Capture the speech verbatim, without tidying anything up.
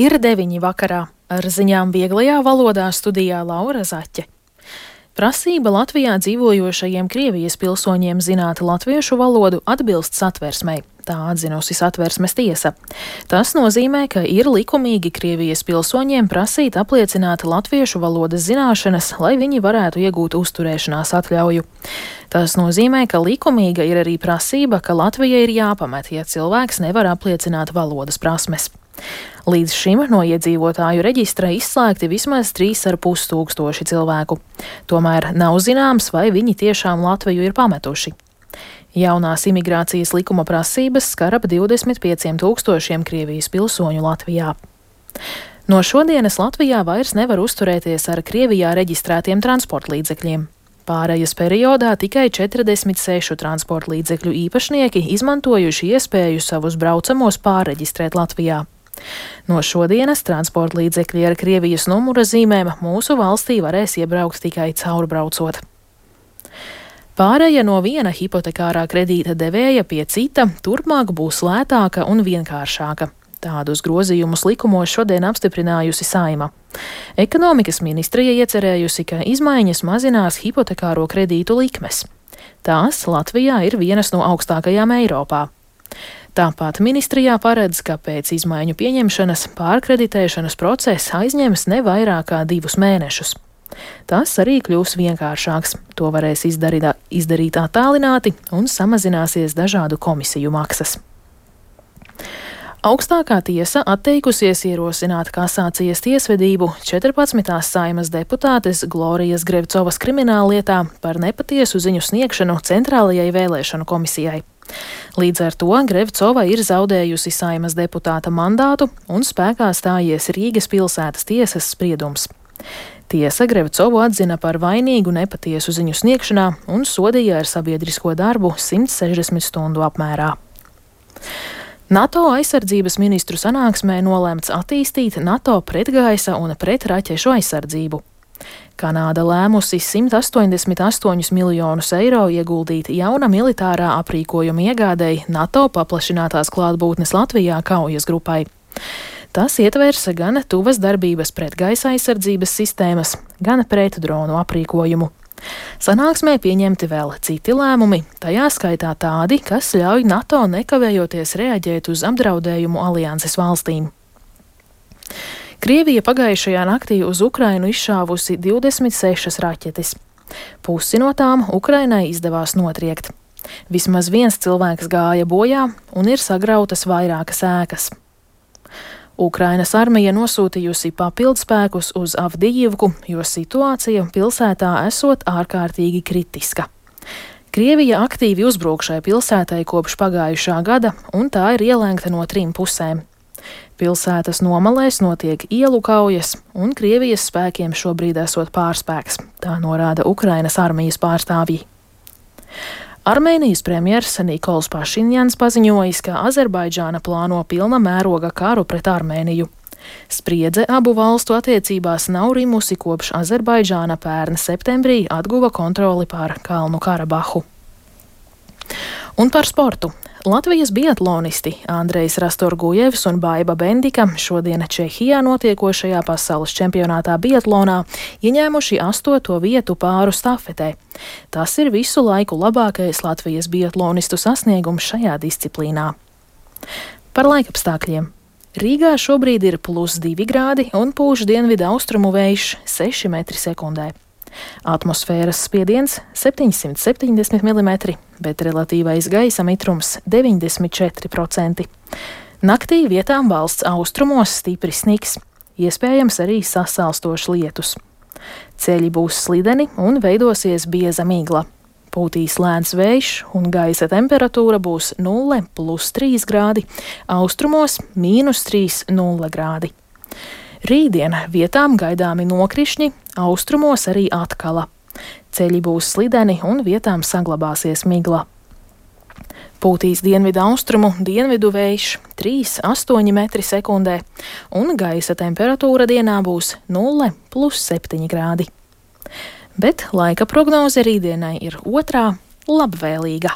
Ir deviņi vakarā. Ar ziņām vieglajā valodā studijā Laura Zaķe. Prasība Latvijā dzīvojošajiem Krievijas pilsoņiem zināt latviešu valodu atbilst satversmei, tā atzinusi satversmes tiesa. Tas nozīmē, ka ir likumīgi Krievijas pilsoņiem prasīt apliecināt latviešu valodas zināšanas, lai viņi varētu iegūt uzturēšanās atļauju. Tas nozīmē, ka likumīga ir arī prasība, ka Latvija ir jāpamet, ja cilvēks nevar apliecināt valodas prasmes. Līdz šim no iedzīvotāju reģistra izslēgti vismaz trīs ar pus tūkstoši cilvēku. Tomēr nav zināms, vai viņi tiešām Latviju ir pametuši. Jaunās imigrācijas likuma prasības skar ap divdesmit pieciem tūkstošiem Krievijas pilsoņu Latvijā. No šodienas Latvijā vairs nevar uzturēties ar Krievijā reģistrētiem transportlīdzekļiem. Pārejas periodā tikai četrdesmit sešu transportlīdzekļu īpašnieki izmantojuši iespēju savus braucamos pārreģistrēt Latvijā. No šodienas transportlīdzekļi ar Krievijas numura zīmēm mūsu valstī varēs iebraukt tikai caurbraucot. Pāreja no viena hipotekārā kredīta devēja pie cita turpmāk būs lētāka un vienkāršāka. Tādus grozījumus likumos šodien apstiprinājusi Saeima. Ekonomikas ministrija iecerējusi, ka izmaiņas mazinās hipotekāro kredītu likmes. Tās Latvijā ir vienas no augstākajām Eiropā. Tāpat ministrijā paredz, ka pēc izmaiņu pieņemšanas pārkreditēšanas process aizņems ne vairāk kā divus mēnešus. Tas arī kļūs vienkāršāks. To varēs izdarīt, izdarīt attālināti un samazināsies dažādu komisiju maksas. Augstākā tiesa atteikusies ierosināt kasācijas tiesvedību četrpadsmitās Saeimas deputātes Glorijas Grevcovas krimināllietā par nepatiesu ziņu sniegšanu Centrālajai vēlēšanu komisijai. Līdz ar to Grevcova ir zaudējusi Saeimas deputāta mandātu un spēkā stājies Rīgas pilsētas tiesas spriedums. Tiesa Grevcovu atzina par vainīgu nepatiesu ziņu sniegšanā un sodīja ar sabiedrisko darbu simt sešdesmit stundu apmērā. NATO aizsardzības ministru sanāksmē nolēmts attīstīt NATO pretgaisa un pretraķešu aizsardzību. Kanāda lēmusi simt astoņdesmit astoņus miljonus eiro ieguldīt jauna militārā aprīkojuma iegādei NATO paplašinātās klātbūtnes Latvijā kaujas grupai. Tas ietvers gan tuvas darbības pretgaisa aizsardzības sistēmas, gan pretdronu aprīkojumu. Sanāksmē pieņemti vēl citi lēmumi, tajā skaitā tādi, kas ļauj NATO nekavējoties reaģēt uz apdraudējumu alianses valstīm. Krievija pagājušajā naktī uz Ukrainu izšāvusi divdesmit sešas raķetes. Pusi no tām Ukrainai izdevās notriekt. Vismaz viens cilvēks gāja bojā un ir sagrautas vairākas ēkas. Ukrainas armija nosūtījusi papildspēkus uz Avdijivku, jo situācija pilsētā esot ārkārtīgi kritiska. Krievija aktīvi uzbrūk šai pilsētai kopš pagājušā gada, un tā ir ielēgta no trim pusēm. Pilsētas nomalēs notiek ielu kaujas, un Krievijas spēkiem šobrīd esot pārspēks, tā norāda Ukrainas armijas pārstāvji. Armēnijas premjers Nikols Pašinjans paziņojis, ka Azerbaidžāna plāno pilna mēroga karu pret Armēniju. Spriedze abu valstu attiecībās nav rimusi kopš Azerbaidžāna pērn septembrī atguva kontroli pār Kalnu Karabahu. Un par sportu. Latvijas biatlonisti Andrejs Rastorgujevs un Baiba Bendika šodien Čehijā notiekošajā pasaules čempionātā biatlonā ieņēmuši astoto vietu pāru stafetē. Tas ir visu laiku labākais Latvijas biatlonistu sasniegums šajā disciplīnā. Par laikapstākļiem. Rīgā šobrīd ir plus divi grādi un pūš dienvidu austrumu vējš seši metri sekundē. Atmosfēras spiediens septiņsimt septiņdesmit milimetri, bet relatīvais gaisa mitrums deviņdesmit četri procenti. Naktī vietām valsts austrumos stipri sniks, iespējams arī sasalstošs lietus. Ceļi būs slideni un veidosies bieza migla. Pūtīs lēns vējš un gaisa temperatūra būs nulle plus trīs grādi, austrumos mīnus trīs nulle grādi. Rītdien vietām gaidāmi nokrišņi, austrumos arī atkala. Ceļi būs slideni un vietām saglabāsies migla. Pūtīs dienvidu austrumu dienvidu vējš trīs astoņi metri sekundē, un gaisa temperatūra dienā būs nulle plus septiņi grādi. Bet laika prognoze rītdienai ir otrā labvēlīga.